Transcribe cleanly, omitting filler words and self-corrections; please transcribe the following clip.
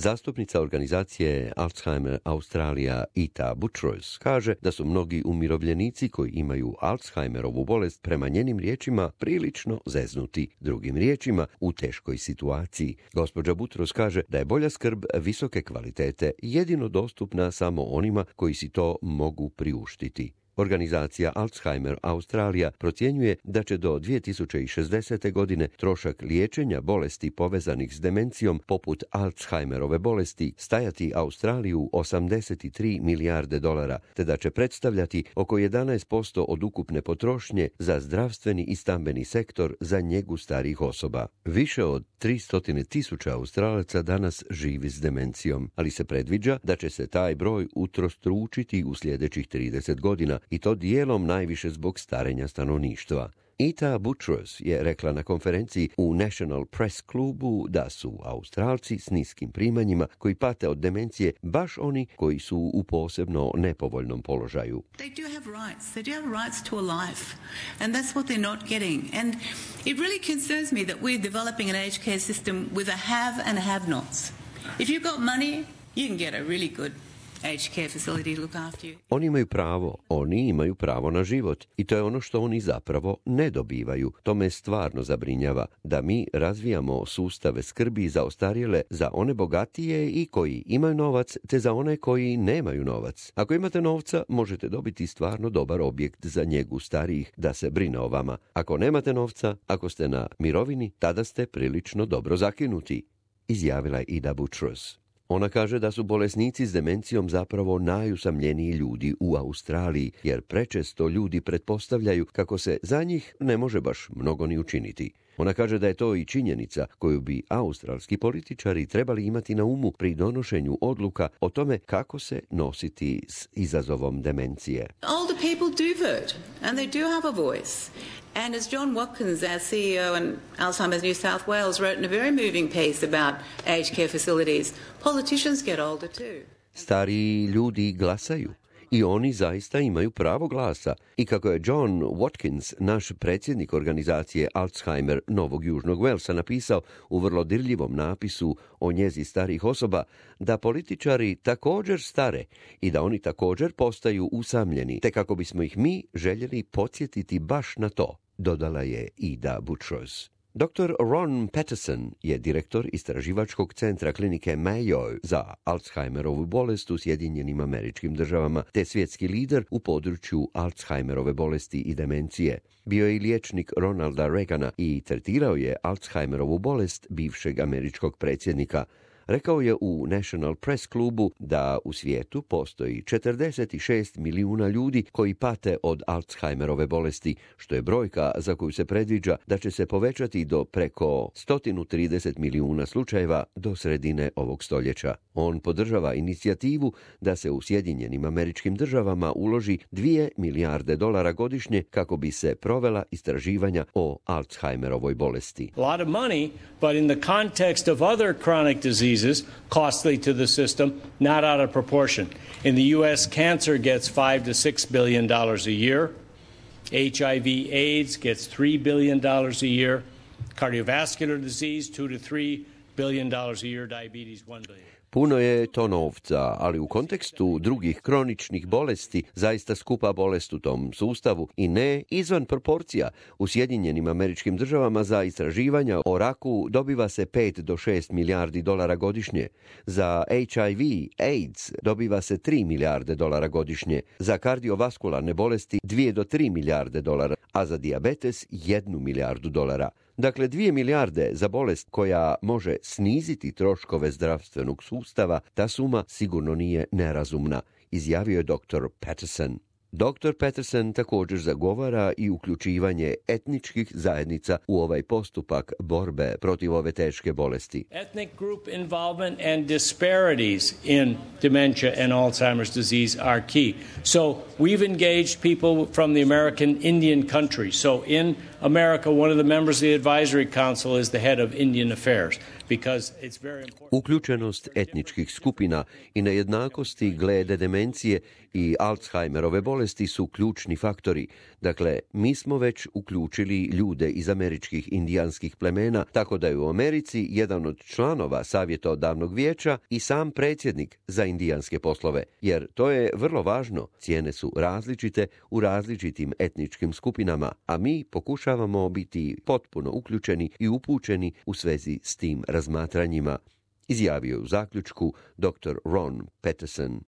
Zastupnica organizacije Alzheimer Australija Ita Buttrose kaže da su mnogi umirovljenici koji imaju Alzheimerovu bolest prema njenim riječima prilično zeznuti, drugim riječima u teškoj situaciji. Gospođa Buttrose kaže da je bolja skrb visoke kvalitete jedino dostupna samo onima koji si to mogu priuštiti. Organizacija Alzheimer Australija procjenjuje da će do 2060. godine trošak liječenja bolesti povezanih s demencijom poput Alzheimerove bolesti stajati Australiju $83 milijarde, te da će predstavljati oko 11% od ukupne potrošnje za zdravstveni i stambeni sektor za njegu starijih osoba. Više od 300.000 Australaca danas živi s demencijom, ali se predviđa da će se taj broj utrostručiti u sljedećih 30 godina, i to dijelom najviše zbog starenja stanovništva. Ita Buttrose je rekla na konferenciji u National Press klubu da su Australci s niskim primanjima koji pate od demencije baš oni koji su u posebno nepovoljnom položaju. They do have rights. They do have rights to a life. And that's what they're not getting. And it really concerns me that we're developing an aged care system with a have and have-nots. If you've got money, you can get a really good aged care facility to look after you. Oni imaju pravo na život i to je ono što oni zapravo ne dobivaju. To me stvarno zabrinjava da mi razvijamo sustave skrbi za ostarjele, za one bogatije i koji imaju novac, te za one koji nemaju novac. Ako imate novca, možete dobiti stvarno dobar objekt za njegu starijih da se brine o vama. Ako nemate novca, ako ste na mirovini, tada ste prilično dobro zakinuti, izjavila je Ida Buttrose. Ona kaže da su bolesnici s demencijom zapravo najusamljeniji ljudi u Australiji, jer prečesto ljudi pretpostavljaju kako se za njih ne može baš mnogo ni učiniti. Ona kaže da je to i činjenica koju bi australski političari trebali imati na umu pri donošenju odluka o tome kako se nositi s izazovom demencije. Older people do vote and they do have a voice. And as John Watkins, our CEO in Alzheimer's New South Wales, wrote in a very moving piece about aged care facilities, politicians get older too. Stariji ljudi glasaju i oni zaista imaju pravo glasa. I kako je John Watkins, naš predsjednik organizacije Alzheimer Novog Južnog Walesa, napisao u vrlo dirljivom napisu o njezi starih osoba, da političari također stare i da oni također postaju usamljeni, te kako bismo ih mi željeli podsjetiti baš na to, dodala je Ida Buttrose. Dr. Ron Patterson je direktor istraživačkog centra klinike Mayo za Alzheimerovu bolest u Sjedinjenim Američkim Državama, te svjetski lider u području Alzheimerove bolesti i demencije. Bio je i liječnik Ronalda Reagana i tretirao je Alzheimerovu bolest bivšeg američkog predsjednika. Rekao je u National Press klubu da u svijetu postoji 46 milijuna ljudi koji pate od Alzheimerove bolesti, što je brojka za koju se predviđa da će se povećati do preko 130 milijuna slučajeva do sredine ovog stoljeća. On podržava inicijativu da se u Sjedinjenim Američkim Državama uloži $2 milijarde godišnje kako bi se provela istraživanja o Alzheimerovoj bolesti. A lot of money, but in the context of other chronic diseases, costly to the system, not out of proportion. In the U.S., cancer gets $5 to $6 billion a year. HIV/AIDS gets $3 billion a year. Cardiovascular disease, $2 to $3 billion a year. Diabetes, $1 billion. Puno je to novca, ali u kontekstu drugih kroničnih bolesti zaista skupa bolest u tom sustavu i ne izvan proporcija. U Sjedinjenim Američkim Državama za istraživanja o raku dobiva se $5 do $6 milijardi godišnje. Za HIV/AIDS dobiva se $3 milijarde godišnje. Za kardiovaskularne bolesti $2 do $3 milijarde, a za dijabetes $1 milijardu. Dakle, 2 milijarde za bolest koja može sniziti troškove zdravstvenog sustava, ta suma sigurno nije nerazumna, izjavio je dr. Patterson. Dr. Patterson također zagovara i uključivanje etničkih zajednica u ovaj postupak borbe protiv ove teške bolesti. Ethnic group involvement and disparities in dementia and Alzheimer's disease are key. So we've engaged people from the American Indian country. So in America, one of the members of the advisory council is the head of Indian affairs. because it's very important. Uključenost etničkih skupina i nejednakosti glede demencije i Alzheimerove bolesti su ključni faktori. Dakle, mi smo već uključili ljude iz američkih indijanskih plemena, tako da je u Americi jedan od članova savjetodavnog vijeća i sam predsjednik za indijanske poslove, jer to je vrlo važno. Cijene su različite u različitim etničkim skupinama, a mi pokušavamo biti potpuno uključeni i upućeni u svezi s tim razmatranjima, izjavio je u zaključku dr. Ron Peterson.